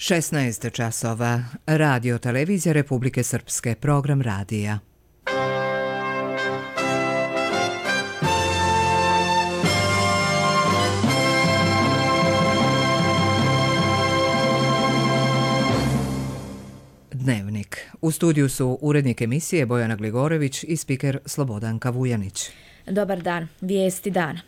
16 časova. Radio Televizija Republike Srpske. Program radija. Dnevnik. U studiju su urednik emisije Bojana Gligorević i spiker Slobodanka Vujanić. Dobar dan. Vijesti dana.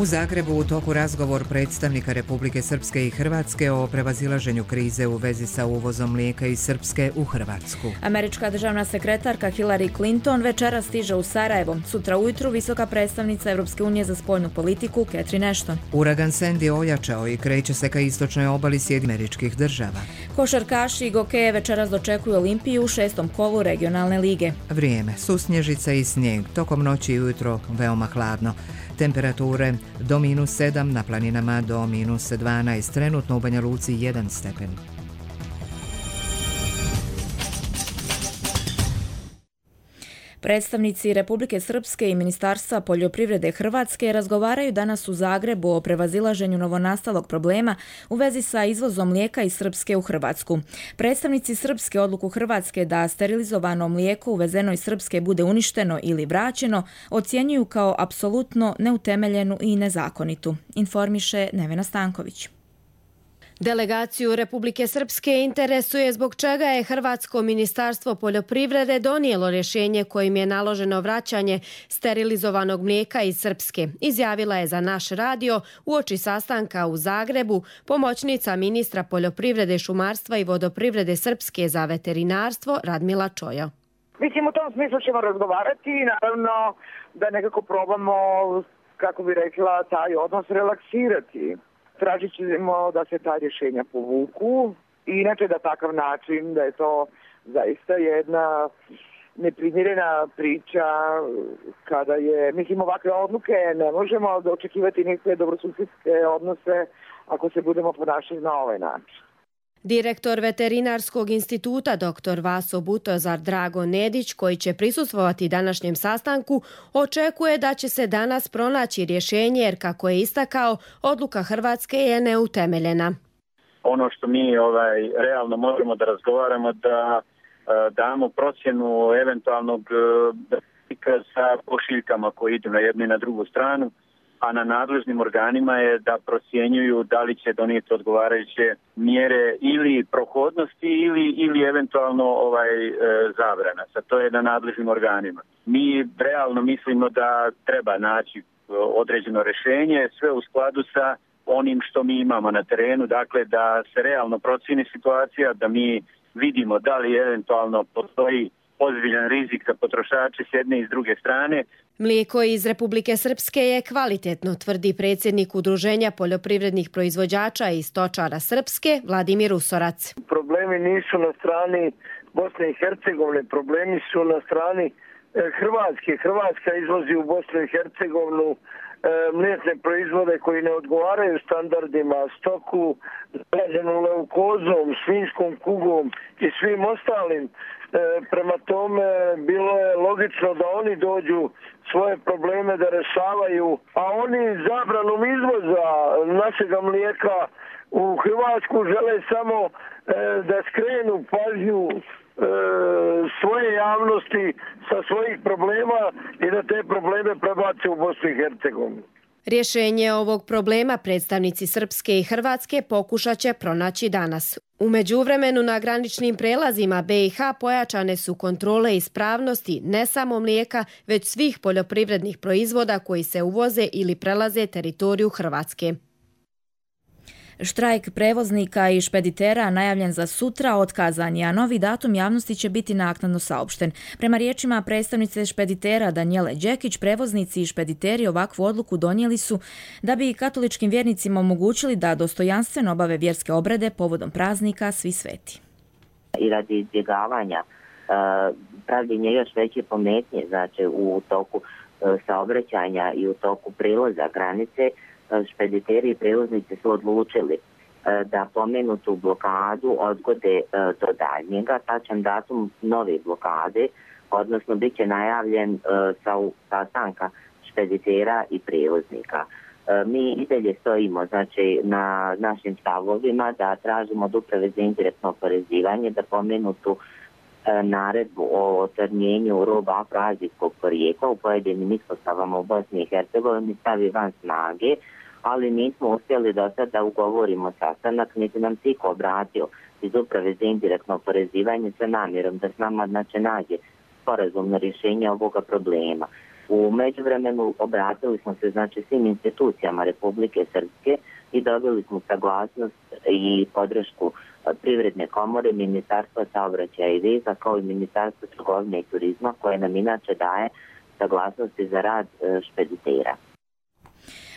U Zagrebu u toku razgovor predstavnika Republike Srpske i Hrvatske o prevazilaženju krize u vezi sa uvozom mlijeka iz Srpske u Hrvatsku. Američka državna sekretarka Hillary Clinton večera stiže u Sarajevo. Sutra ujutru visoka predstavnica Europske unije za spoljnu politiku Catherine Ashton. Uragan Sandy ojačao i kreće se ka istočnoj obali Sjedinjenih Država. Košarkaši i gokeje večeras dočekuju Olimpiju u 6. kolu regionalne lige. Vrijeme, susnježica i snijeg, tokom noći i ujutro veoma hladno. Temperature do -7, na planinama do -12, trenutno u Banja Luci 1 stepen. Predstavnici Republike Srpske i Ministarstva poljoprivrede Hrvatske razgovaraju danas u Zagrebu o prevazilaženju novonastalog problema u vezi sa izvozom mlijeka iz Srpske u Hrvatsku. Predstavnici Srpske odluku Hrvatske da sterilizovano mlijeko uvezeno iz Srpske bude uništeno ili vraćeno ocjenjuju kao apsolutno neutemeljenu i nezakonitu, informiše Nevena Stanković. Delegaciju Republike Srpske interesuje zbog čega je Hrvatsko ministarstvo poljoprivrede donijelo rješenje kojim je naloženo vraćanje sterilizovanog mlijeka iz Srpske. Izjavila je za naš radio uoči sastanka u Zagrebu pomoćnica ministra poljoprivrede, šumarstva i vodoprivrede Srpske za veterinarstvo Radmila Čojo. Mislim, u tom smislu ćemo razgovarati i naravno da nekako probamo, kako bi rekla, taj odnos relaksirati. Tražit ćemo da se ta rješenja povuku i inače da takav način, da je to zaista jedna neprimjerena priča kada je, mislim, ovakve odluke ne možemo očekivati neke dobrosusjedske odnose ako se budemo ponašati na ovaj način. Direktor Veterinarskog instituta dr. Vaso Butozar Drago Nedić, koji će prisustvovati današnjem sastanku, očekuje da će se danas pronaći rješenje jer, kako je istakao, odluka Hrvatske je neutemeljena. Ono što mi realno možemo da razgovaramo, da damo procjenu eventualnog sa pošiljkama koji idu na jednu i na drugu stranu, a na nadležnim organima je da procjenjuju da li će donijeti odgovarajuće mjere ili prohodnosti ili eventualno zabrana. Sad to je na nadležnim organima. Mi realno mislimo da treba naći određeno rješenje, sve u skladu sa onim što mi imamo na terenu, dakle da se realno procjeni situacija, da mi vidimo da li eventualno postoji ozbiljan rizik za potrošače s jedne i s druge strane. Mlijeko iz Republike Srpske je kvalitetno, tvrdi predsjednik Udruženja poljoprivrednih proizvođača i stočara Srpske, Vladimir Usorac. Problemi nisu na strani Bosne i Hercegovine, problemi su na strani Hrvatske. Hrvatska izvozi u Bosnu i Hercegovinu mliječne proizvode koji ne odgovaraju standardima, stoku zaraženu leukozom, svinjskom kugom i svim ostalim. Prema tome bilo je logično da oni dođu svoje probleme da rešavaju, a oni zabranom izvoza našega mlijeka u Hrvatsku žele samo da skrenu pažnju svoje javnosti sa svojih problema i da te probleme prebace u Bosnu i Hercegovinu. Rješenje ovog problema predstavnici Srpske i Hrvatske pokušat će pronaći danas. U međuvremenu na graničnim prelazima BiH pojačane su kontrole ispravnosti ne samo mlijeka, već svih poljoprivrednih proizvoda koji se uvoze ili prelaze teritoriju Hrvatske. Štrajk prevoznika i špeditera najavljen za sutra otkazan je, a novi datum javnosti će biti naknadno saopšten. Prema riječima predstavnice špeditera Danijele Đekić, prevoznici i špediteri ovakvu odluku donijeli su da bi katoličkim vjernicima omogućili da dostojanstveno obave vjerske obrede povodom praznika Svi sveti. I radi izbjegavanja pravljenja još veće pometnje, znači u toku saobraćanja i u toku prilaza granice, špediteri i prevoznici su odlučili da pomenutu blokadu odgode do daljnjega. Tačan datum nove blokade, odnosno bit će najavljen sastanka špeditera i prevoznika. Mi i dalje stojimo znači, na našim stavovima da tražimo od Uprave za indirektno oporezivanje da pomenutu naredbu o otrnjenju roba afroazijskog porijekla u pojedinim ispostavama u Bosni i Hercegovini stavi van snage, ali nismo uspjeli do sada da ugovorimo sastanak, niti nam se iko obratio iz Uprave za indirektno oporezivanje sa namjerom da s nama znači, nađe sporazumno rješenje ovoga problema. U međuvremenu obratili smo se znači, svim institucijama Republike Srpske i dobili smo saglasnost i podršku Privredne komore, Ministarstva saobraćaja i veza kao i Ministarstva trgovine i turizma koje nam inače daje saglasnosti za rad špeditera.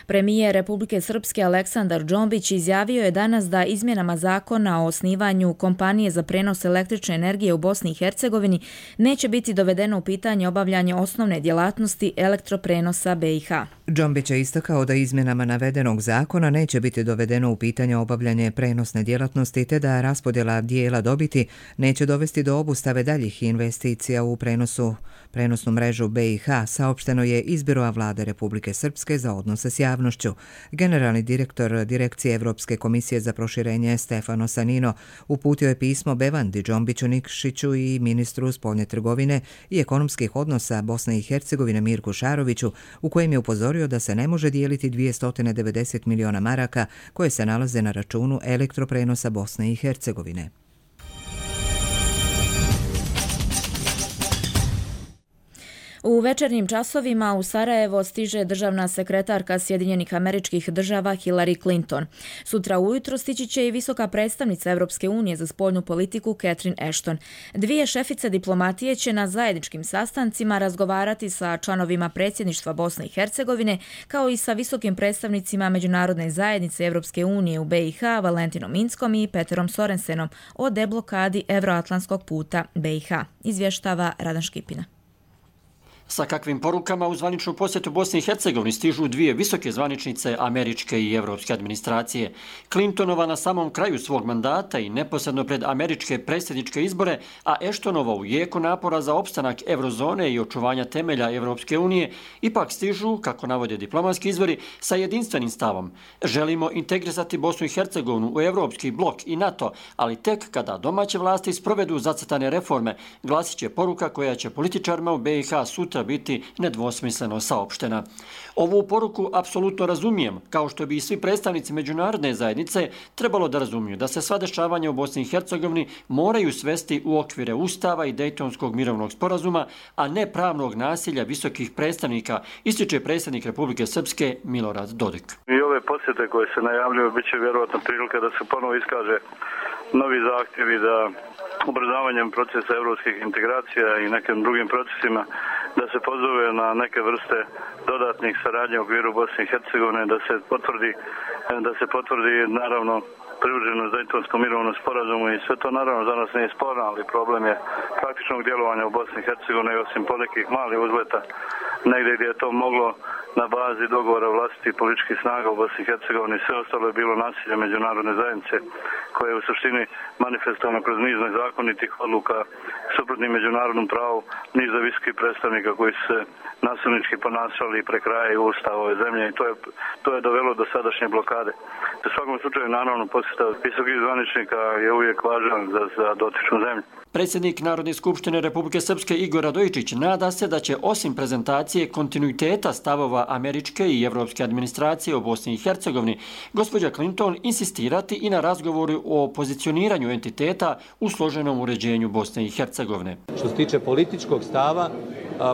Premijer Republike Srpske Aleksandar Džombić izjavio je danas da izmjenama zakona o osnivanju kompanije za prenos električne energije u Bosni i Hercegovini neće biti dovedeno u pitanje obavljanje osnovne djelatnosti elektroprenosa BiH. Džombić je istakao da izmjenama navedenog zakona neće biti dovedeno u pitanje obavljanje prenosne djelatnosti te da raspodjela dijela dobiti neće dovesti do obustave daljih investicija u prenosnu mrežu BiH, saopšteno je iz Biroa vlade Republike Srpske za odnose s javnošću. Generalni direktor Direkcije Evropske komisije za proširenje Stefano Sanino uputio je pismo Bevandi Džombiću Nikšiću i ministru spoljne trgovine i ekonomskih odnosa Bosne i Hercegovine Mirku Šaroviću, u kojem je upozorio da se ne može dijeliti 290 miliona maraka koje se nalaze na računu elektroprenosa Bosne i Hercegovine. U večernjim časovima u Sarajevo stiže državna sekretarka Sjedinjenih Američkih Država Hillary Clinton. Sutra ujutro stići će i visoka predstavnica Europske unije za spoljnu politiku Catherine Ashton. Dvije šefice diplomatije će na zajedničkim sastancima razgovarati sa članovima predsjedništva Bosne i Hercegovine kao i sa visokim predstavnicima Međunarodne zajednice Europske unije u BiH Valentinom Inckom i Peterom Sorensenom o deblokadi Evroatlantskog puta BiH, izvještava Radan Škipina. Sa kakvim porukama u zvaničnu posjetu Bosni i Hercegovini stižu dvije visoke zvaničnice američke i evropske administracije. Clintonova na samom kraju svog mandata i neposredno pred američke predsjedničke izbore, a Ashtonova u jeku napora za opstanak eurozone i očuvanja temelja Evropske unije, ipak stižu, kako navode diplomatski izvori, sa jedinstvenim stavom. Želimo integrisati Bosnu i Hercegovinu u evropski blok i NATO, ali tek kada domaće vlasti sprovedu zacrtane reforme, glasit će poruka koja će političarima u BiH sutra biti nedvosmisleno saopštena. Ovu poruku apsolutno razumijem, kao što bi i svi predstavnici međunarodne zajednice trebalo da razumiju da se sva dešavanja u Bosni i Hercegovini moraju svesti u okvire Ustava i Dejtonskog mirovnog sporazuma, a ne pravnog nasilja visokih predstavnika, ističe predsjednik Republike Srpske Milorad Dodik. I ove posjete koje se najavljuju bit će vjerojatno prilika da se ponovo iskaže novi zahtjevi da ubrzavanjem procesa evropskih integracija i nekim drugim procesima da se pozove na neke vrste dodatnih saradnje u okviru Bosne i Hercegovine, da se potvrdi naravno privrženost Dejtonskom mirovnom sporazumu i sve to naravno za nas nije sporno, ali problem je praktičnog djelovanja u Bosni i Hercegovini osim ponekih malih uzleta negdje gdje je to moglo na bazi dogovora vlastitih političkih snaga u Bosni i Hercegovini. Sve ostalo je bilo nasilje međunarodne zajednice koje je u suštini manifestovano kroz niz nezakonitih odluka suprotnim međunarodnom pravu niza visokih predstavnika koji su se nasilnički ponašali i prekrajaju ustav ove zemlje i to je dovelo do sadašnje blokade. U svakom slučaju naravno posjeta visokih zvaničnika je uvijek važan za dotičnu zemlju. Predsjednik Narodne skupštine Republike Srpske Igor Radojičić nada se da će osim prezentacije kontinuiteta stavova američke i evropske administracije u Bosni i Hercegovini, gospođa Clinton insistirati i na razgovoru o pozicioniranju entiteta u složenom uređenju Bosne i Hercegovine. Što se tiče političkog stava,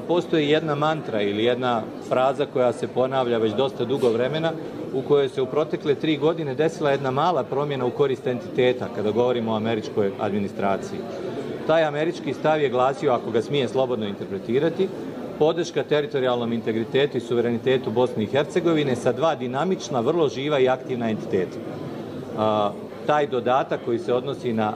postoji jedna mantra ili jedna fraza koja se ponavlja već dosta dugo vremena, u kojoj se u protekle 3 godine desila jedna mala promjena u korist entiteta kada govorimo o američkoj administraciji. Taj američki stav je glasio, ako ga smije slobodno interpretirati, podrška teritorijalnom integritetu i suverenitetu Bosne i Hercegovine sa dva dinamična, vrlo živa i aktivna entiteta. Taj dodatak koji se odnosi na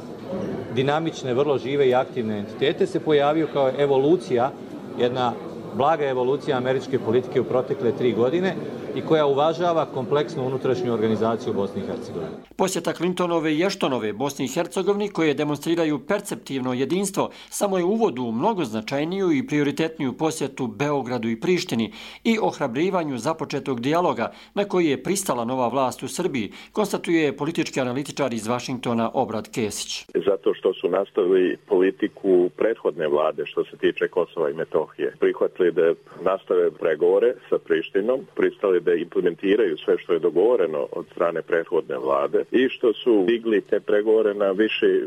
dinamične, vrlo žive i aktivne entitete se pojavio kao evolucija, jedna blaga evolucija američke politike u protekle 3 godine i koja uvažava kompleksnu unutrašnju organizaciju Bosne i Hercegovine. Posjeta Clintonove i Ashtonove Bosni i Hercegovini, koje demonstriraju perceptivno jedinstvo, samo je uvod u mnogo značajniju i prioritetniju posjetu Beogradu i Prištini i ohrabrivanju započetog dijaloga na koji je pristala nova vlast u Srbiji, konstatuje politički analitičar iz Vašingtona Obrad Kesić. Zato što su nastavili politiku prethodne vlade što se tiče Kosova i Metohije. Prihvatili da nastave pregovore sa Prištinom, pristali da implementiraju sve što je dogovoreno od strane prethodne vlade i što su digli te pregovore na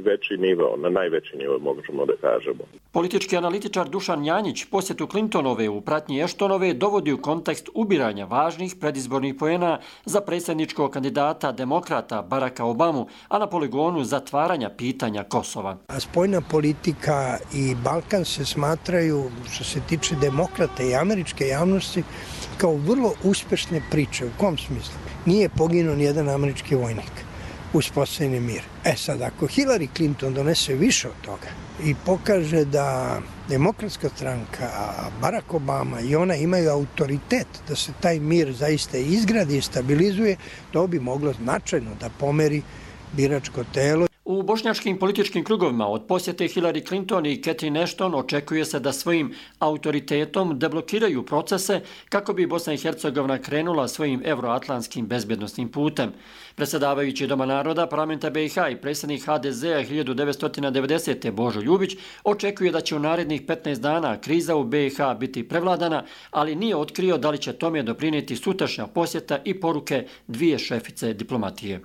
veći nivo, na najveći nivo možemo da kažemo. Politički analitičar Dušan Janjić posjetu Clintonove u pratnji Ashtonove dovodi u kontekst ubiranja važnih predizbornih poena za predsjedničkog kandidata demokrata Baracka Obamu, a na poligonu zatvaranja pitanja Kosova. Spoljna politika i Balkan se smatraju, što se tiče demokrata i američke javnosti, kao vrlo uspešne priče. U kom smislu? Nije poginuo nijedan američki vojnik. Uspostavljen je mir. Sad, ako Hillary Clinton donese više od toga i pokaže da Demokratska stranka, Barack Obama i ona imaju autoritet da se taj mir zaista izgradi i stabilizuje, to bi moglo značajno da pomeri biračko telo. U bošnjačkim političkim krugovima od posjete Hillary Clinton i Catherine Ashton očekuje se da svojim autoritetom deblokiraju procese kako bi Bosna i Hercegovina krenula svojim euroatlantskim bezbjednosnim putem. Predsjedavajući Doma naroda parlamenta BiH i predsjednik HDZ-a 1990. Božo Ljubić očekuje da će u narednih 15 dana kriza u BiH biti prevladana, ali nije otkrio da li će tome doprinijeti sutrašnja posjeta i poruke dvije šefice diplomatije.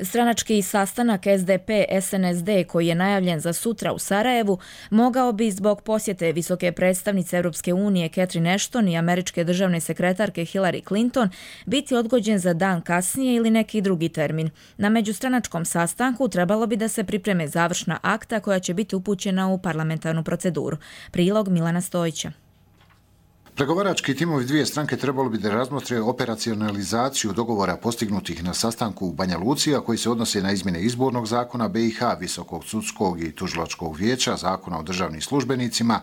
Stranački sastanak SDP-SNSD koji je najavljen za sutra u Sarajevu mogao bi zbog posjete visoke predstavnice Europske unije Catherine Ashton i američke državne sekretarke Hillary Clinton biti odgođen za dan kasnije ili neki drugi termin. Na međustranačkom sastanku trebalo bi da se pripreme završna akta koja će biti upućena u parlamentarnu proceduru. Prilog Milana Stojića. Pregovarački timovi dvije stranke trebalo bi da razmotre operacionalizaciju dogovora postignutih na sastanku u Banja Luci, a koji se odnose na izmjene izbornog zakona BiH, Visokog sudskog i tužilačkog vijeća, zakona o državnim službenicima,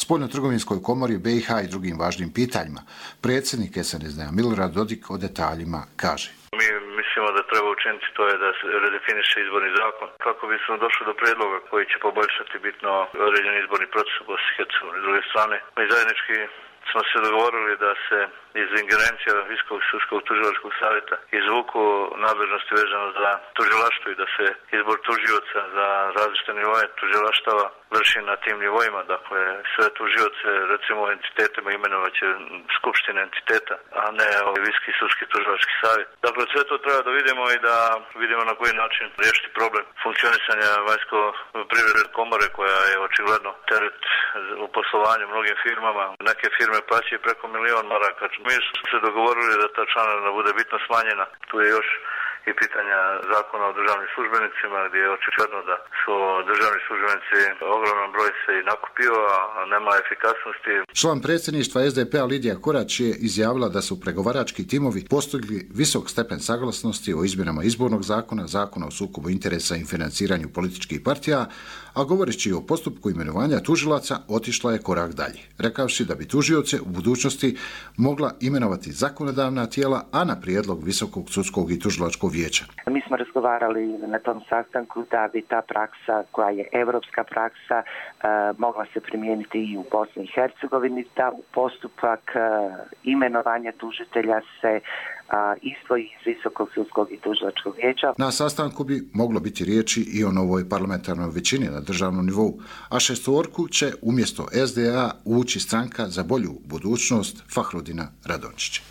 spoljnotrgovinskoj komori BiH i drugim važnim pitanjima. Predsjednik SNSD-a Milorad Dodik o detaljima kaže. Mi mislimo da treba učiniti to je da se redefiniše izborni zakon kako bismo došli do prijedloga koji će poboljšati bitno određeni izborni proces u Bosni i Hercegovini. S druge strane, mi zajednički smo se dogovorili da se iz ingerencija Visokog sudskog tužilačkog savjeta izvuku nadležnosti vezano za tužilaštvo i da se izbor tužioca za različite nivoje tužilaštava vrši na tim nivoima. Dakle, sve tužioce, recimo entitetima imenovat će skupštine entiteta, a ne Visoki sudski tužilački savjet. Dakle, sve to treba da vidimo i da vidimo na koji način riješiti problem funkcionisanja vanjsko-privredne komore koja je očigledno teret u poslovanju mnogim firmama. Neke firme plaćaju preko 1 milion maraka. Mi smo se dogovorili da ta članarina bude bitno smanjena. Tu je još i pitanja zakona o državnim službenicima gdje je očigledno da su državni službenici ogroman broj se i nakupio, a nema efikasnosti. Član predsjedništva SDP-a Lidija Korać je izjavila da su pregovarački timovi postigli visok stepen saglasnosti o izmjenama izbornog zakona, zakona o sukobu interesa i financiranju političkih partija, a govoreći o postupku imenovanja tužilaca otišla je korak dalje, rekavši da bi tužioce u budućnosti mogla imenovati zakonodavna tijela, a na prijedlog Visokog sudskog i tužilačkog vijeća. Mi smo razgovarali na tom sastanku da bi ta praksa, koja je evropska praksa, mogla se primijeniti i u Bosni i Hercegovini, da u postupak imenovanja tužitelja se izdvoji iz Visokog sudskog i tužilačkog vijeća. Na sastanku bi moglo biti riječi i o novoj parlamentarnoj većini na državnom nivou, a šestorku će umjesto SDA ući stranka za bolju budućnost Fahrudina Radončića.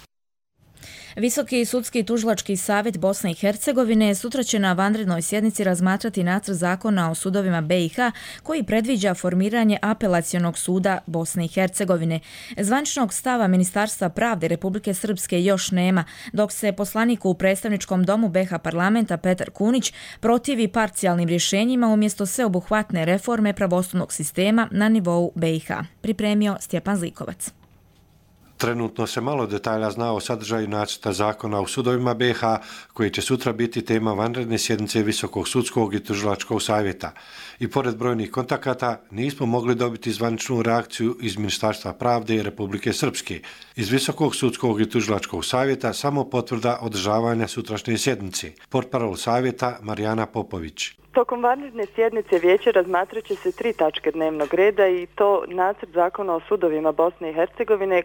Visoki sudski tužilački savjet Bosne i Hercegovine sutra će na vanrednoj sjednici razmatrati nacrt zakona o sudovima BiH koji predviđa formiranje apelacionog suda Bosne i Hercegovine. Zvaničnog stava Ministarstva pravde Republike Srpske još nema, dok se poslaniku u predstavničkom domu BiH parlamenta Petar Kunić protivi parcijalnim rješenjima umjesto sveobuhvatne reforme pravosudnog sistema na nivou BiH. Pripremio Stjepan Zlikovac. Trenutno se malo detalja zna o sadržaju nacrta zakona o sudovima BiH, koji će sutra biti tema vanredne sjednice Visokog sudskog i tužilačkog savjeta. I pored brojnih kontakata nismo mogli dobiti zvaničnu reakciju iz Ministarstva pravde i Republike Srpske. Iz Visokog sudskog i tužilačkog savjeta samo potvrda održavanja sutrašnje sjednice. Portparol savjeta Marijana Popović. Tokom vanredne sjednice vijeće razmatrat će se 3 tačke dnevnog reda i to nacrt zakona o sudovima Bosne i Hercegovine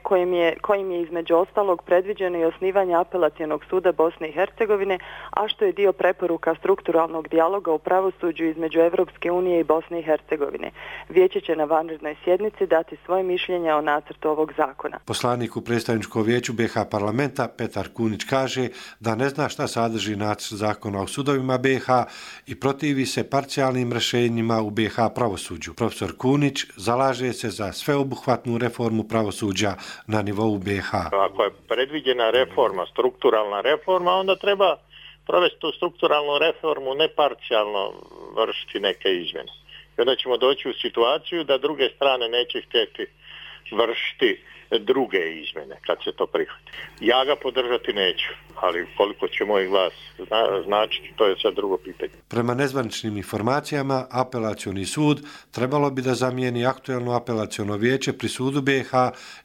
kojim je između ostalog predviđeno i osnivanje apelacionog suda Bosne i Hercegovine, a što je dio preporuka strukturalnog dijaloga u pravosuđu između Evropske unije i Bosne i Hercegovine. Vijeće će na vanrednoj sjednici dati svoje mišljenje o nacrtu ovog zakona. Poslanik u predstavničkom vijeću BiH parlamenta Petar Kunić kaže da ne zna šta sadrži nacrt zakona o sudovima BiH i protivi se parcijalnim rješenjima u BiH pravosuđu. Profesor Kunić zalaže se za sveobuhvatnu reformu pravosuđa na nivou BiH. Ako je predviđena reforma, strukturalna reforma, onda treba provesti tu strukturalnu reformu, ne parcijalno vršiti neke izmjene. I onda ćemo doći u situaciju da druge strane neće htjeti vršiti druge izmjene kad se to prihvati. Ja ga podržati neću, ali koliko će moj glas značiti, to je sad drugo pitanje. Prema nezvaničnim informacijama, apelacioni sud trebalo bi da zamijeni aktuelno apelaciono vijeće pri sudu BiH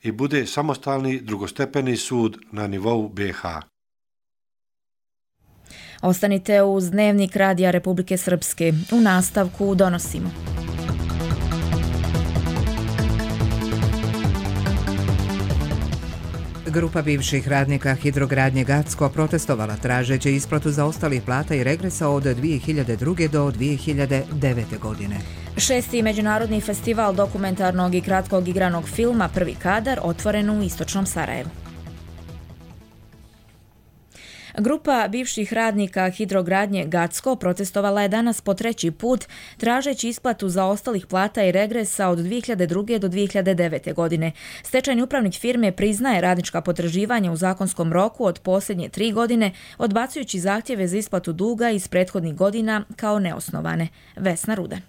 i bude samostalni drugostepeni sud na nivou BiH. Ostanite uz Dnevnik Radija Republike Srpske. U nastavku donosimo. Grupa bivših radnika Hidrogradnje Gacko protestovala tražeći isplatu zaostalih plata i regresa od 2002. do 2009. godine. 6. Međunarodni festival dokumentarnog i kratkog igranog filma Prvi kadar otvoren u istočnom Sarajevu. Grupa bivših radnika Hidrogradnje Gacko protestovala je danas po 3. put tražeći isplatu zaostalih plata i regresa od 2002. do 2009. godine. Stečajni upravnik firme priznaje radnička potraživanja u zakonskom roku od posljednje 3 godine, odbacujući zahtjeve za isplatu duga iz prethodnih godina kao neosnovane. Vesna Rudan.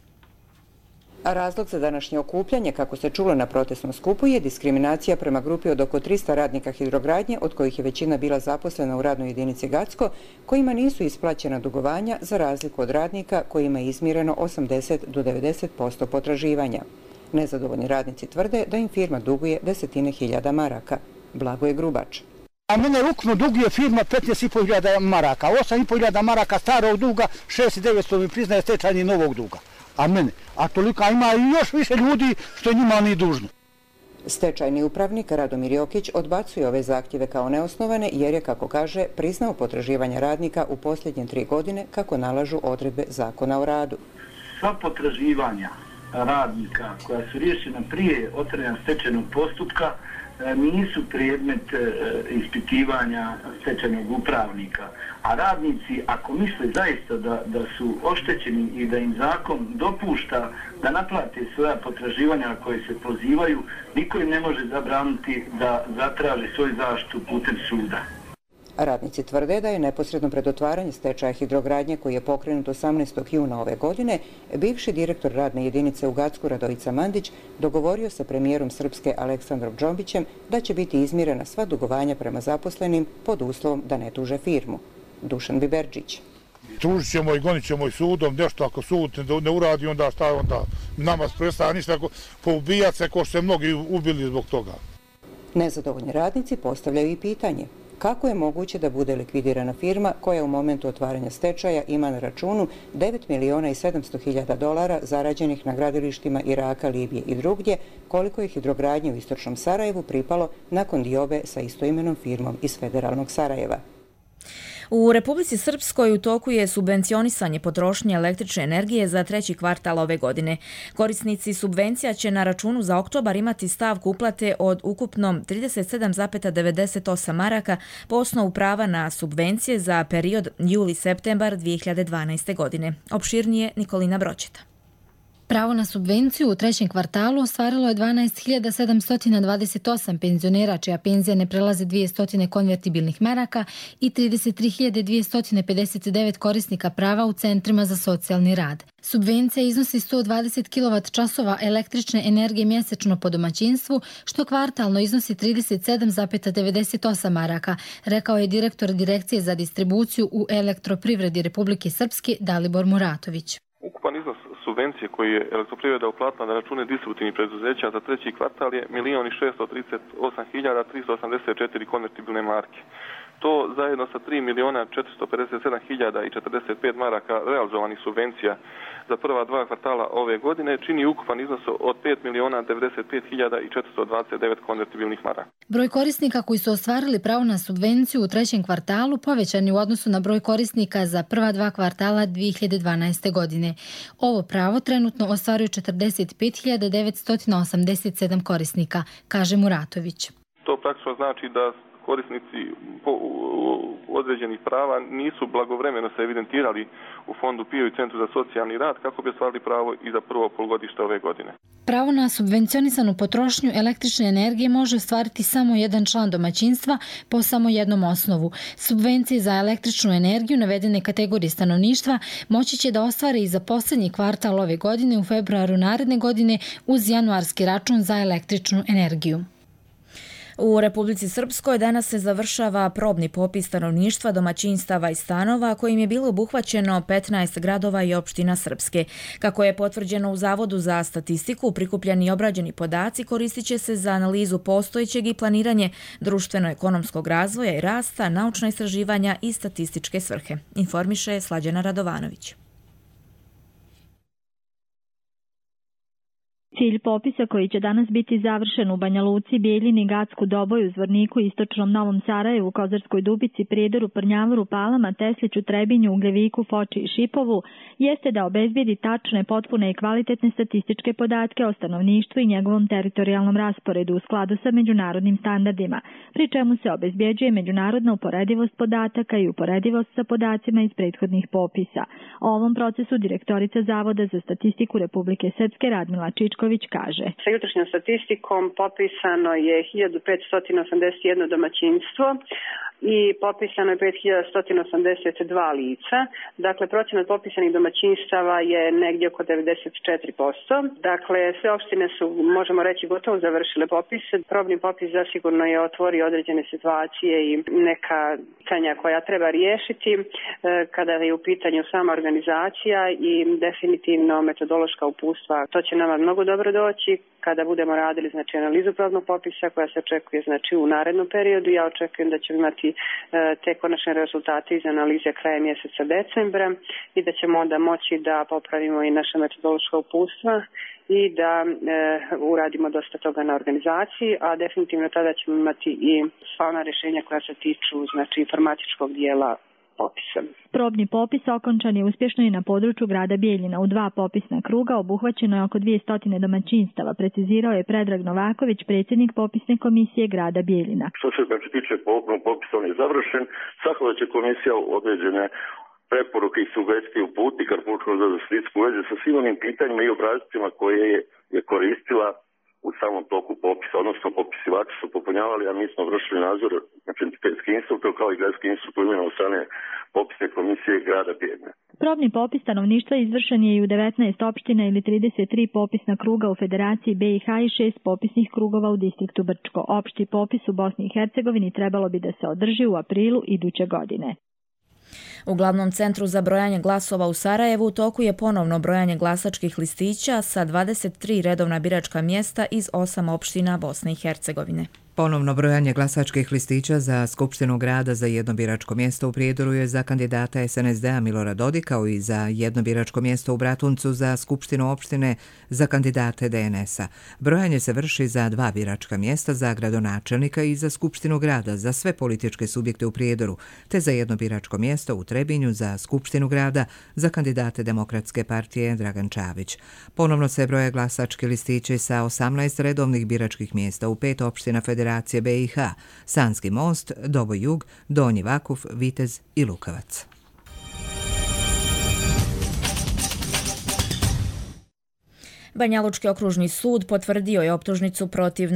A razlog za današnje okupljanje, kako se čulo na protestnom skupu, je diskriminacija prema grupi od oko 300 radnika Hidrogradnje, od kojih je većina bila zaposlena u radnoj jedinici Gacko, kojima nisu isplaćena dugovanja za razliku od radnika kojima je izmireno 80 do 90% potraživanja. Nezadovoljni radnici tvrde da im firma duguje 10.000 maraka. Blagoje Grubač. A mene ukupno duguje firma 15.500 maraka, 8.500 maraka starog duga, 6.900 mi priznaje stečajni novog duga. A tolika ima i još više ljudi što njima ni dužno. Stečajni upravnik Radomir Jokić odbacuje ove zahtjeve kao neosnovane jer je, kako kaže, priznao potraživanja radnika u posljednje 3 godine kako nalažu odredbe zakona o radu. Sva potraživanja radnika koja su riješena prije otvaranja stečajnog postupka nisu predmet ispitivanja stečajnog upravnika. A radnici, ako misle zaista da su oštećeni i da im zakon dopušta da naplate svoja potraživanja na koje se pozivaju, niko im ne može zabraniti da zatraže svoju zaštitu putem suda. Radnici tvrde da je neposredno pred otvaranje stečaja Hidrogradnje, koji je pokrenut 18. juna ove godine, bivši direktor radne jedinice u Gacku Radojica Mandić dogovorio sa premijerom Srpske Aleksandrom Džombićem da će biti izmirena sva dugovanja prema zaposlenim pod uslovom da ne tuže firmu. Dušan Biberđić. Tužit ćemo i gonit ćemo i sudom, nešto ako sud ne uradi, onda šta onda nama prestaje ništa, poubijat se ko što se mnogi ubili zbog toga. Nezadovoljni radnici postavljaju i pitanje. Kako je moguće da bude likvidirana firma koja u momentu otvaranja stečaja ima na računu $9.700.000 zarađenih na gradilištima Iraka, Libije i drugdje, koliko je Hidrogradnje u istočnom Sarajevu pripalo nakon diobe sa istoimenom firmom iz federalnog Sarajeva. U Republici Srpskoj u toku je subvencionisanje potrošnje električne energije za 3. kvartal ove godine. Korisnici subvencija će na računu za oktobar imati stavku uplate od ukupno 37,98 maraka po osnovu prava na subvencije za period juli-septembar 2012. godine. Opširnije Nikolina Broćeta. Pravo na subvenciju u trećem kvartalu ostvarilo je 12.728 penzionera čija penzija ne prelaze 200 konvertibilnih maraka i 33.259 korisnika prava u centrima za socijalni rad. Subvencija iznosi 120 kWh električne energije mjesečno po domaćinstvu, što kvartalno iznosi 37,98 maraka, rekao je direktor Direkcije za distribuciju u Elektroprivredi Republike Srpske Dalibor Muratović. Ukupan iznos subvencije koji je Elektroprivreda uplatila na račune distributivnih preduzeća za treći kvartal je 1.638.384 konvertibilne marke. To zajedno sa 3.457.045 maraka realizovanih subvencija za prva dva kvartala ove godine čini ukupan iznos od 5.095.429 konvertibilnih maraka. Broj korisnika koji su ostvarili pravo na subvenciju u trećem kvartalu povećan je u odnosu na broj korisnika za prva dva kvartala 2012. godine. Ovo pravo trenutno ostvaruje 45.987 korisnika, kaže Muratović. To praktično znači da korisnici određenih prava nisu blagovremeno se evidentirali u Fondu PIO i Centru za socijalni rad kako bi ostvarili pravo i za prvo polugodište ove godine. Pravo na subvencionisanu potrošnju električne energije može ostvariti samo jedan član domaćinstva po samo jednom osnovu. Subvencije za električnu energiju navedene kategorije stanovništva moći će da ostvare i za posljednji kvartal ove godine u februaru naredne godine uz januarski račun za električnu energiju. U Republici Srpskoj danas se završava probni popis stanovništva, domaćinstava i stanova kojim je bilo obuhvaćeno 15 gradova i opština Srpske. Kako je potvrđeno u Zavodu za statistiku, prikupljeni i obrađeni podaci koristit će se za analizu postojećeg i planiranje društveno-ekonomskog razvoja i rasta, naučna istraživanja i statističke svrhe, informiše Slađana Radovanović. Cilj popisa koji će danas biti završen u Banja Luci, Bijeljini, Gacku, Doboju, Zvorniku, Istočnom Novom Sarajevu, Kozarskoj Dubici, Prijedoru, Prnjavoru, Palama, Tesliću, Trebinju, Ugljeviku, Foči i Šipovu, jeste da obezbijedi tačne, potpune i kvalitetne statističke podatke o stanovništvu i njegovom teritorijalnom rasporedu u skladu sa međunarodnim standardima, pri čemu se obezbjeđuje međunarodna uporedivost podataka i uporedivost sa podacima iz prethodnih popisa. O ovom procesu direktorica Zavoda za statistiku Republike Srpske Radmila Čičko kaže. Sa jutrošnjom statistikom popisano je 1581 domaćinstvo i popisano je 5182 lica. Dakle, procenat popisanih domaćinstava je negdje oko 94%. Dakle, sve opštine su, možemo reći, gotovo završile popis. Probni popis zasigurno je otvorio određene situacije i neka pitanja koja treba riješiti kada je u pitanju sama organizacija i definitivno metodološka uputstva. To će nama mnogo dobro doći kada budemo radili analizu probnog popisa koja se očekuje u narednom periodu. Ja očekujem da ćemo imati te konačne rezultate iz analize krajem mjeseca decembra i da ćemo onda moći da popravimo i naša metodološka uputstva i da uradimo dosta toga na organizaciji, a definitivno tada ćemo imati i sva ona rješenja koja se tiču informatičkog dijela popisa. Probni popis okončan je uspješno i na području grada Bijeljina. U 2 popisna kruga obuhvaćeno je oko 200 domaćinstava, precizirao je Predrag Novaković, predsjednik popisne komisije grada Bijeljina. Što se tiče popisa, on je završen. Svakako će komisija određene preporuke i sugestije uputiti Republičkom zavodu za statistiku u vezi sa svim onim pitanjima i obrascima koje je koristila u samom toku popisa, odnosno popisivači su popunjavali, a mi smo vršili nadzor, znači entitetski instruktor kao i gradski instruktor imenovan od strane popisne komisije grada Bijeljine. Probni popis stanovništva izvršen je i u 19 opština ili 33 popisna kruga u Federaciji BiH i 6 popisnih krugova u distriktu Brčko. Opšti popis u Bosni i Hercegovini trebalo bi da se održi u aprilu iduće godine. U glavnom centru za brojanje glasova u Sarajevu u toku je ponovno brojanje glasačkih listića sa 23 redovna biračka mjesta iz 8 opština Bosne i Hercegovine. Ponovno brojanje glasačkih listića za Skupštinu grada za jedno biračko mjesto u Prijedoru je za kandidata SNSD-a Milorada Dodika, kao i za jedno biračko mjesto u Bratuncu za Skupštinu opštine za kandidate DNS-a. Brojanje se vrši za 2 biračka mjesta za gradonačelnika i za Skupštinu grada za sve političke subjekte u Prijedoru, te za jedno biračko mjesto u Trebinju za Skupštinu grada za kandidate Demokratske partije Dragan Čavić. Ponovno se broje glasački listići sa 18 redovnih biračkih mjesta u 5 opština Federacije BiH, Sanski Most, Doboj Jug, Donji Vakuf, Vitez i Banjalučki okružni sud potvrdio je optužnicu protiv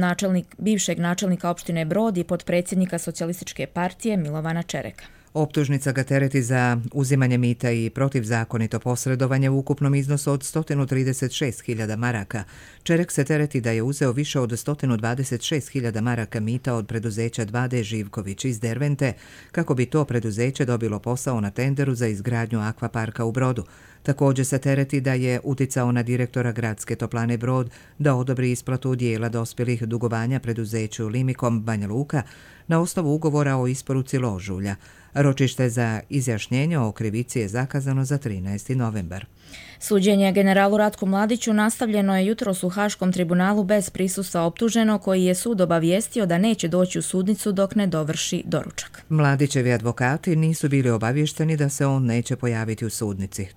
bivšeg načelnika opštine Brod i potpredsjednika Socijalističke partije Milovana Čereka. Optužnica ga tereti za uzimanje mita i protivzakonito posredovanje u ukupnom iznosu od 136.000 maraka. Čerek se tereti da je uzeo više od 126.000 maraka mita od preduzeća 2D Živković iz Dervente, kako bi to preduzeće dobilo posao na tenderu za izgradnju akvaparka u Brodu. Također se tereti da je uticao na direktora gradske toplane Brod da odobri isplatu dijela dospjelih dugovanja preduzeću Limikom Banja Luka na osnovu ugovora o isporuci ložulja. Ročište za izjašnjenje o krivici je zakazano za 13. novembar. Suđenje generalu Ratku Mladiću nastavljeno je jutros u Haškom tribunalu bez prisustva optuženog, koji je sud obavijestio da neće doći u sudnicu dok ne dovrši doručak. Mladićevi advokati nisu bili obavješteni da se on neće pojaviti u sudnici.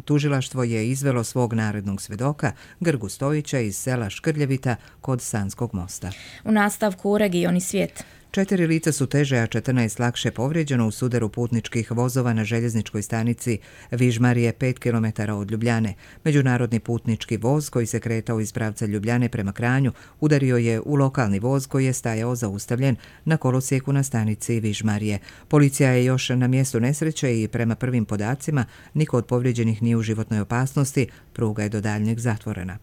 Tužilaštvo je izvelo svog narednog svjedoka, Grgu Stojića iz sela Škrljevita kod Sanskog mosta. U nastavku u regioni svijet. 4 lica su teže, a 14 lakše povrijeđeno u sudaru putničkih vozova na željezničkoj stanici Vižmarije 5 km od Ljubljane. Međunarodni putnički voz koji se kretao iz pravca Ljubljane prema Kranju udario je u lokalni voz koji je stajao zaustavljen na kolosijeku na stanici Vižmarije. Policija je još na mjestu nesreće i prema prvim podacima niko od povrijeđenih nije u životnoj opasnosti, pruga je do daljnjeg zatvorena.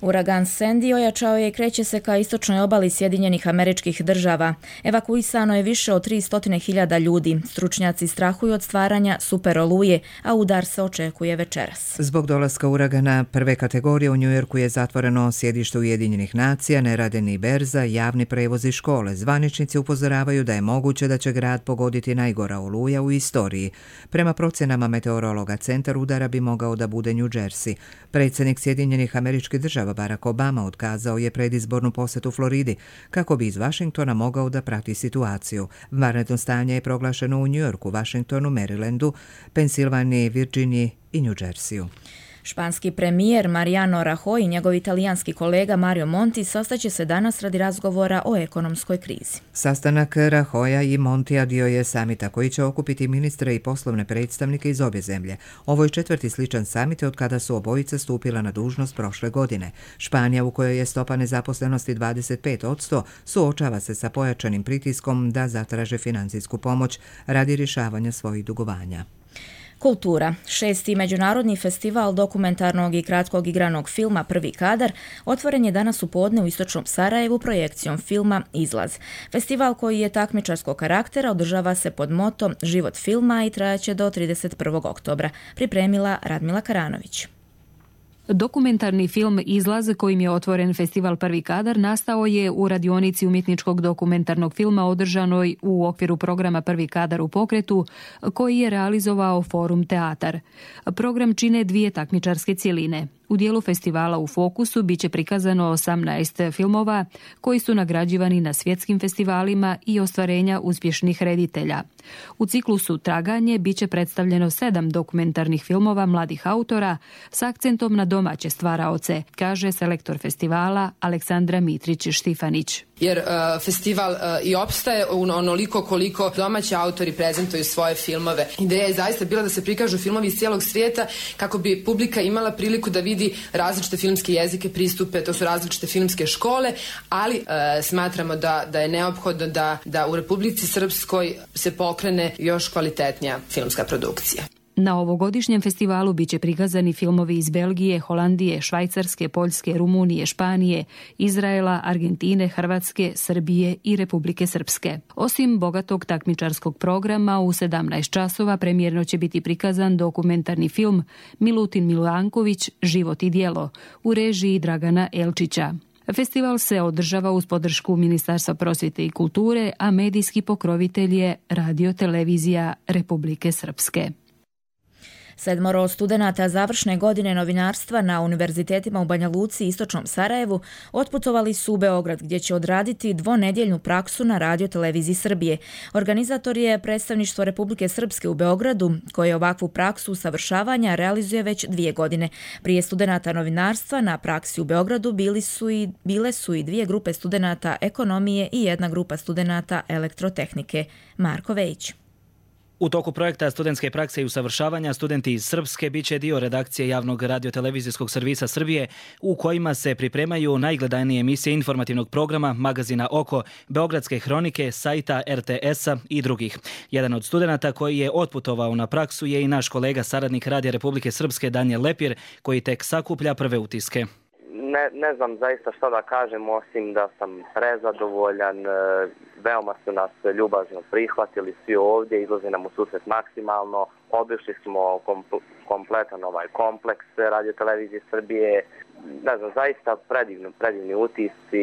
Uragan Sandy ojačao je i kreće se ka istočnoj obali Sjedinjenih Američkih Država. Evakuisano je više od 300.000 ljudi. Stručnjaci strahuju od stvaranja superoluje, a udar se očekuje večeras. Zbog dolaska uragana prve kategorije u Njujorku je zatvoreno sjedište Ujedinjenih nacija, ne rade ni berza, javni prevoz i škole. Zvaničnici upozoravaju da je moguće da će grad pogoditi najgora oluja u istoriji. Prema procjenama meteorologa, centar udara bi mogao da bude New Jersey. Predsjednik Sjedinjenih Američkih Država Barack Obama otkazao je predizbornu posjetu Floridi kako bi iz Vašingtona mogao da prati situaciju. Vanredno stanje je proglašeno u Njujorku, Vašingtonu, Marylandu, Pensilvaniji, Virginiji i New Jerseyu. Španski premijer Mariano Rajoy i njegov italijanski kolega Mario Monti sastaće se danas radi razgovora o ekonomskoj krizi. Sastanak Rajoya i Montija dio je samita koji će okupiti ministre i poslovne predstavnike iz obje zemlje. Ovo je 4. sličan samit od kada su obojice stupila na dužnost prošle godine. Španija, u kojoj je stopa nezaposlenosti 25%, suočava se sa pojačanim pritiskom da zatraže financijsku pomoć radi rješavanja svojih dugovanja. Kultura. 6. međunarodni festival dokumentarnog i kratkog igranog filma Prvi kadar otvoren je danas u podne u istočnom Sarajevu projekcijom filma Izlaz. Festival, koji je takmičarskog karaktera, održava se pod motom Život filma i trajaće do 31. oktobra. Pripremila Radmila Karanović. Dokumentarni film Izlaz, kojim je otvoren festival Prvi kadar, nastao je u radionici umjetničkog dokumentarnog filma održanoj u okviru programa Prvi kadar u pokretu, koji je realizovao Forum Teatar. Program čine 2 takmičarske cjeline. U dijelu festivala u fokusu biće prikazano 18 filmova koji su nagrađivani na svjetskim festivalima i ostvarenja uspješnih reditelja. U ciklusu Traganje biće predstavljeno 7 dokumentarnih filmova mladih autora s akcentom na domaće stvaraoce, kaže selektor festivala Aleksandra Mitrić-Štifanić. Jer festival i opstaje onoliko koliko domaći autori prezentuju svoje filmove. Ideja je zaista bila da se prikažu filmovi iz cijelog svijeta kako bi publika imala priliku da vidi različite filmske jezike, pristupe, to su različite filmske škole, ali smatramo da je neophodno da u Republici Srpskoj se pokrene još kvalitetnija filmska produkcija. Na ovogodišnjem festivalu biće prikazani filmovi iz Belgije, Holandije, Švajcarske, Poljske, Rumunije, Španije, Izraela, Argentine, Hrvatske, Srbije i Republike Srpske. Osim bogatog takmičarskog programa, u 17 časova premijerno će biti prikazan dokumentarni film Milutin Milanković, Život i djelo, u režiji Dragana Elčića. Festival se održava uz podršku Ministarstva prosvjete i kulture, a medijski pokrovitelj je Radio-televizija Republike Srpske. 7 studenata završne godine novinarstva na univerzitetima u Banja Luci i istočnom Sarajevu otputovali su u Beograd, gdje će odraditi 2-nedjeljnu praksu na Radio-televiziji Srbije. Organizator je predstavništvo Republike Srpske u Beogradu, koje ovakvu praksu usavršavanja realizuje već 2 godine. Prije studenata novinarstva na praksi u Beogradu bile su i 2 grupe studenata ekonomije i 1 grupa studenata elektrotehnike. Marko Vejić. U toku projekta studentske prakse i usavršavanja studenti iz Srpske biće dio redakcije javnog radiotelevizijskog servisa Srbije u kojima se pripremaju najgledanije emisije informativnog programa, magazina Oko, Beogradske hronike, sajta RTS-a i drugih. Jedan od studenata koji je otputovao na praksu je i naš kolega saradnik Radija Republike Srpske Danijel Lepir, koji tek sakuplja prve utiske. Ne znam zaista što da kažem, osim da sam prezadovoljan. Veoma su nas ljubazno prihvatili svi ovdje, izlazi nam u susret maksimalno. Obišli smo kompletan ovaj kompleks radiotelevizije Srbije. Ne znam, zaista predivni utisci,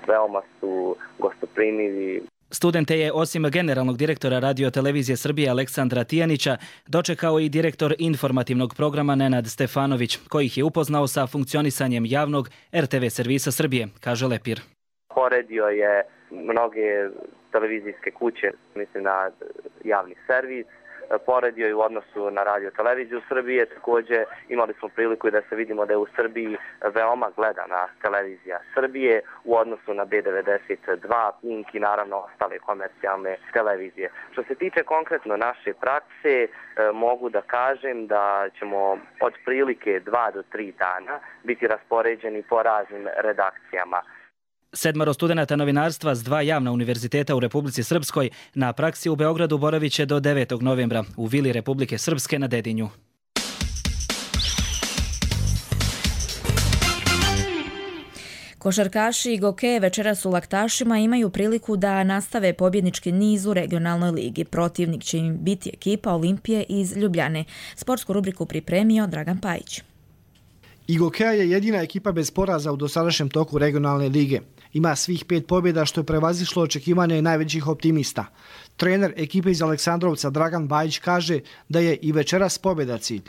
veoma su gostoprimivi. Studente je osim generalnog direktora radiotelevizije Srbije Aleksandra Tijanića dočekao i direktor informativnog programa Nenad Stefanović, koji ih je upoznao sa funkcionisanjem javnog RTV servisa Srbije, kaže Lepir. Poredio je mnoge televizijske kuće, mislim na javni servis, poredio je u odnosu na radioteleviziju Srbije. Također imali smo priliku da se vidimo da je u Srbiji veoma gledana televizija Srbije u odnosu na B92, Pink i naravno ostale komercijalne televizije. Što se tiče konkretno naše prakse, mogu da kažem da ćemo od prilike 2 do 3 dana biti raspoređeni po raznim redakcijama. 7 studenata novinarstva s 2 javna univerziteta u Republici Srpskoj na praksi u Beogradu boravit će do 9. novembra u Vili Republike Srpske na Dedinju. Košarkaši i Goke večeras u Laktašima imaju priliku da nastave pobjednički niz u regionalnoj ligi. Protivnik će im biti ekipa Olimpije iz Ljubljane. Sportsku rubriku pripremio Dragan Pajić. Igokea je jedina ekipa bez poraza u dosadašnjem toku regionalne lige. Ima svih 5 pobjeda što je prevazišlo očekivanje najvećih optimista. Trener ekipe iz Aleksandrovca Dragan Bajić kaže da je i večeras pobjeda cilj.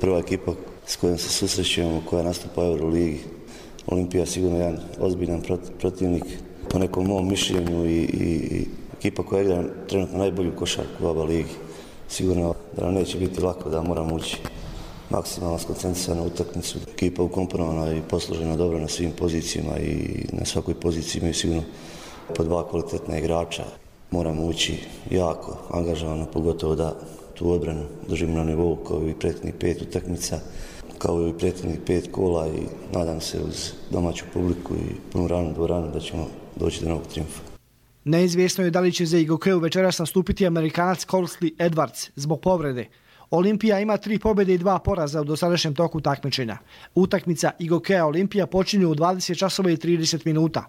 Prva ekipa s kojom se susrećujemo, koja nastupa u Euroligi, Olimpija je sigurno jedan ozbiljan protivnik po nekom mom mišljenju i ekipa koja igra trenutno najbolju košarku u ABA ligi. Sigurno da nam neće biti lako, da moramo ući maksimalno skoncentrisana utakmicu. Ekipa ukomponovana i posložena dobro na svim pozicijama i na svakoj poziciji imaju sigurno po 2 kvalitetna igrača. Moramo ući jako angažovano, pogotovo da tu odbranu držimo na nivou kao i prethodnih 5 utakmica, kao i prethodnih 5 kola i nadam se uz domaću publiku i punu ranu dvoranu da ćemo doći do novog triumfa. Neizvjesno je da li će za Igokeu večeras nastupiti Amerikanac Corsley Edwards zbog povrede. Olimpija ima 3 pobjede i 2 poraza u dosadašnjem toku takmičenja. Utakmica Igokea Olimpija počinje u 20 časova i 30 minuta.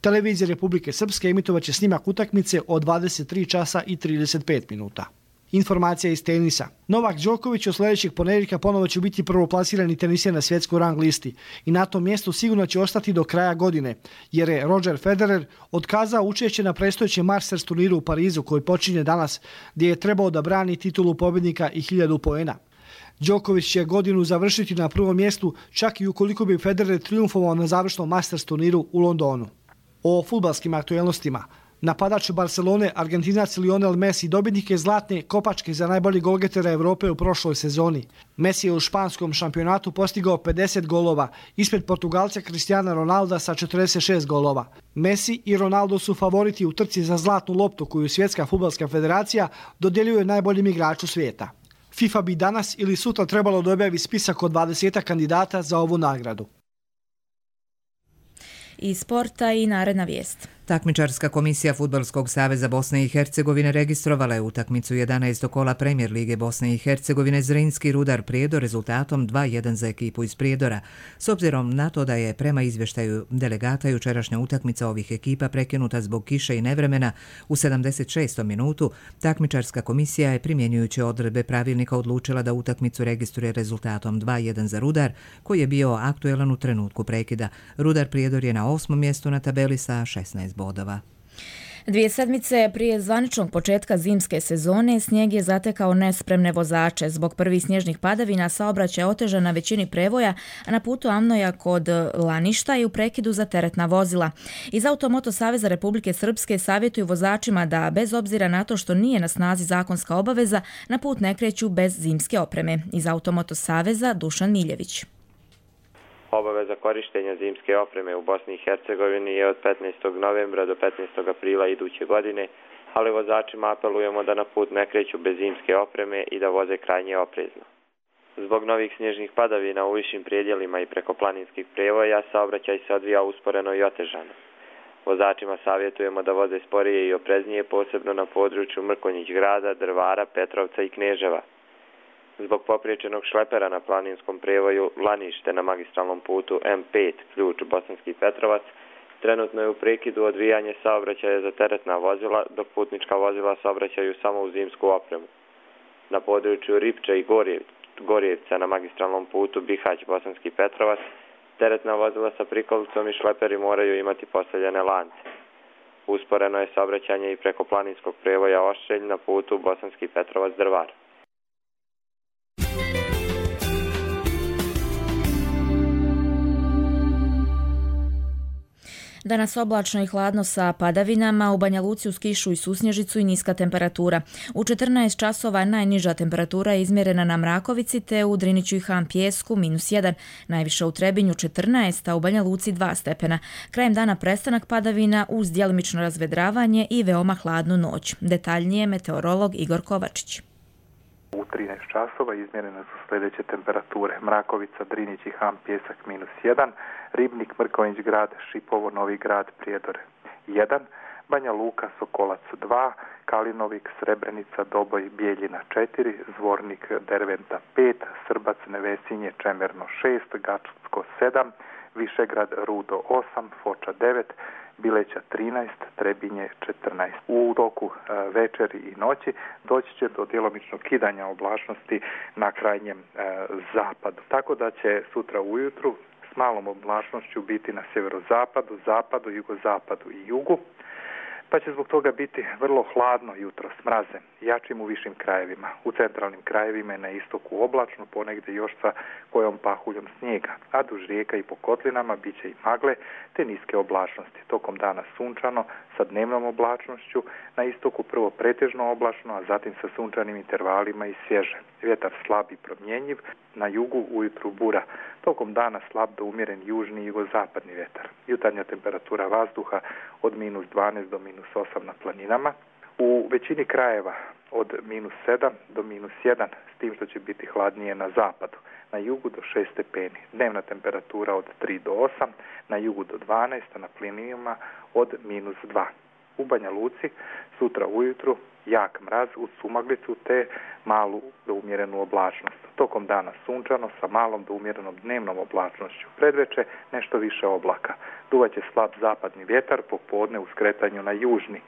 Televizija Republike Srpske emitovaće snimak utakmice od 23 časa i 35 minuta. Informacija iz tenisa. Novak Đoković od sljedećeg ponedjeljka ponovo će biti prvoplasirani teniser na svjetskoj rang listi i na tom mjestu sigurno će ostati do kraja godine, jer je Roger Federer otkazao učešće na predstojećem Masters turniru u Parizu koji počinje danas, gdje je trebao da brani titulu pobjednika i 1000 poena. Đoković će godinu završiti na prvom mjestu, čak i ukoliko bi Federer triumfovao na završnom Masters turniru u Londonu. O fudbalskim aktuelnostima. Napadač Barcelone, Argentinac Lionel Messi, dobitnik je zlatne kopačke za najbolji golgetera Evrope u prošloj sezoni. Messi je u španskom šampionatu postigao 50 golova, ispred Portugalca Cristiana Ronalda sa 46 golova. Messi i Ronaldo su favoriti u trci za zlatnu loptu koju Svjetska fudbalska federacija dodjeljuje najboljim igraču svijeta. FIFA bi danas ili sutra trebalo da objavi spisak od 20 kandidata za ovu nagradu. Iz sporta i naredna vijest. Takmičarska komisija Fudbalskog saveza Bosne i Hercegovine registrovala je utakmicu 11. kola Premijer lige Bosne i Hercegovine Zrinski Rudar Prijedor rezultatom 2:1 za ekipu iz Prijedora. S obzirom na to da je prema izvještaju delegata jučerašnja utakmica ovih ekipa prekinuta zbog kiše i nevremena u 76. minutu, takmičarska komisija je primjenjujući odredbe pravilnika odlučila da utakmicu registruje rezultatom 2:1 za Rudar, koji je bio aktuelan u trenutku prekida. Rudar Prijedor je na 8. mjestu na tabeli sa 16 bodova. 2 sedmice prije zvaničnog početka zimske sezone snijeg je zatekao nespremne vozače. Zbog prvih snježnih padavina saobraćaj je otežan na većini prevoja, a na putu Amnoja kod Laništa i u prekidu za teretna vozila. Iz Automoto Saveza Republike Srpske savjetuju vozačima da, bez obzira na to što nije na snazi zakonska obaveza, na put ne kreću bez zimske opreme. Iz Automoto Saveza Dušan Miljević. Obaveza korištenja zimske opreme u Bosni i Hercegovini je od 15. novembra do 15. aprila iduće godine, ali vozačima apelujemo da na put ne kreću bez zimske opreme i da voze krajnje oprezno. Zbog novih snježnih padavina u višim predjelima i preko planinskih prevoja saobraćaj se odvija usporeno i otežano. Vozačima savjetujemo da voze sporije i opreznije, posebno na području Mrkonjić grada, Drvara, Petrovca i Kneževa. Zbog popriječenog šlepera na planinskom prevoju Lanište na magistralnom putu M5, ključ Bosanski Petrovac, trenutno je u prekidu odvijanje saobraćaja za teretna vozila, dok putnička vozila saobraćaju samo u zimsku opremu. Na području Ripče i Gorjevca na magistralnom putu Bihać Bosanski Petrovac, teretna vozila sa prikolicom i šleperi moraju imati postavljene lance. Usporeno je saobraćanje i preko planinskog prevoja Oštrelj na putu Bosanski Petrovac Drvar. Danas oblačno i hladno sa padavinama, u Banja Luci uz kišu i susnježicu i niska temperatura. U 14 časova najniža temperatura je izmjerena na Mrakovici te u Driniću i Han Pijesku -1, najviša u Trebinju 14, a u Banja Luci 2 stepena. Krajem dana prestanak padavina uz djelomično razvedravanje i veoma hladnu noć. Detaljnije meteorolog Igor Kovačić. U 13 časova izmjerene su sljedeće temperature: Mrakovica, Drinić i Han Pijesak -1, Ribnik, Mrkonjić grad, Šipovo, Novi grad, Prijedor 1, Banja Luka, Sokolac 2, Kalinovik, Srebrenica, Doboj, Bijeljina 4, Zvornik, Derventa 5, Srbac, Nevesinje, Čemerno 6, Gačsko 7, Višegrad, Rudo 8, Foča 9, Bileća 13, Trebinje 14. U toku večeri i noći doći će do djelomičnog kidanja oblačnosti na krajnjem zapadu. Tako da će sutra ujutru s malom oblačnošću biti na sjeverozapadu, zapadu, jugozapadu i jugu, pa će zbog toga biti vrlo hladno jutro s mrazem, jačim u višim krajevima. U centralnim krajevima je na istoku oblačno, ponegdje još sa kojom pahuljom snijega, a duž rijeka i po kotlinama bit će i magle te niske oblačnosti. Tokom dana sunčano sa dnevnom oblačnošću, na istoku prvo pretežno oblačno, a zatim sa sunčanim intervalima i svježe. Vjetar slab i promjenjiv, na jugu ujutru bura. Tokom dana slab do umjeren južni i jugozapadni vjetar. Jutarnja temperatura vazduha od -12 do -8 na planinama. U većini krajeva od -7 do -1, s tim što će biti hladnije na zapadu. Na jugu do 6 stepeni. Dnevna temperatura od 3 do 8, na jugu do 12, a na planinama od -2. U Banja Luci sutra ujutru jak mraz uz sumaglicu te malu do umjerenu oblačnost. Tokom dana sunčano sa malom do umjerenom dnevnom oblačnošću. Predveče nešto više oblaka. Duvaće slab zapadni vjetar, popodne u skretanju na južni.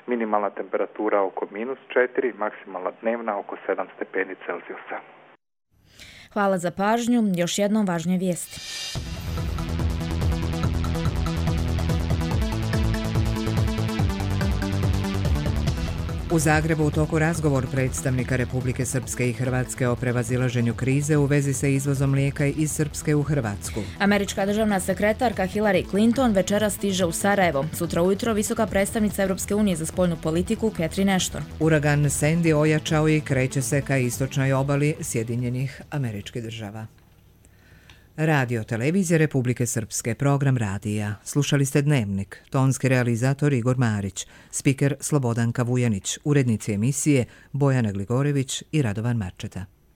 Minimalna temperatura oko -4, maksimalna dnevna oko 7 stepeni Celzijusa. Hvala za pažnju. Još jednom važnije vijesti. U Zagrebu u toku razgovor predstavnika Republike Srpske i Hrvatske o prevazilaženju krize u vezi sa izvozom mlijeka iz Srpske u Hrvatsku. Američka državna sekretarka Hillary Clinton večeras stiže u Sarajevo. Sutra ujutro visoka predstavnica Europske unije za spoljnu politiku Catherine Ashton. Uragan Sandy ojačao i kreće se ka istočnoj obali Sjedinjenih Američkih Država. Radio Televizije Republike Srpske, program radija. Slušali ste Dnevnik, tonski realizator Igor Marić, spiker Slobodanka Vujanić, urednici emisije Bojana Gligorević i Radovan Marčeta.